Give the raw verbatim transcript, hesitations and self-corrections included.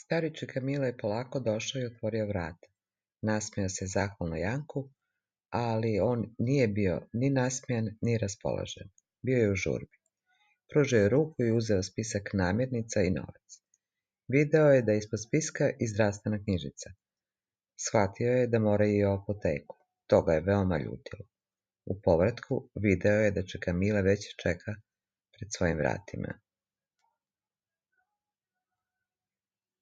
Stari čika Mile je polako došao i otvorio vrata. Nasmejao se zahvalno Janku, ali on nije bio ni nasmejan, ni raspoložen. Bio je u žurbi. Pružio je ruku i uzeo spisak namirnica i novac. Video je da je ispod spiska i zdravstvena knjižica. Shvatio je da mora i u apoteku. To ga je veoma ljutilo. U povratku video je da čika Mile već čeka pred svojim vratima.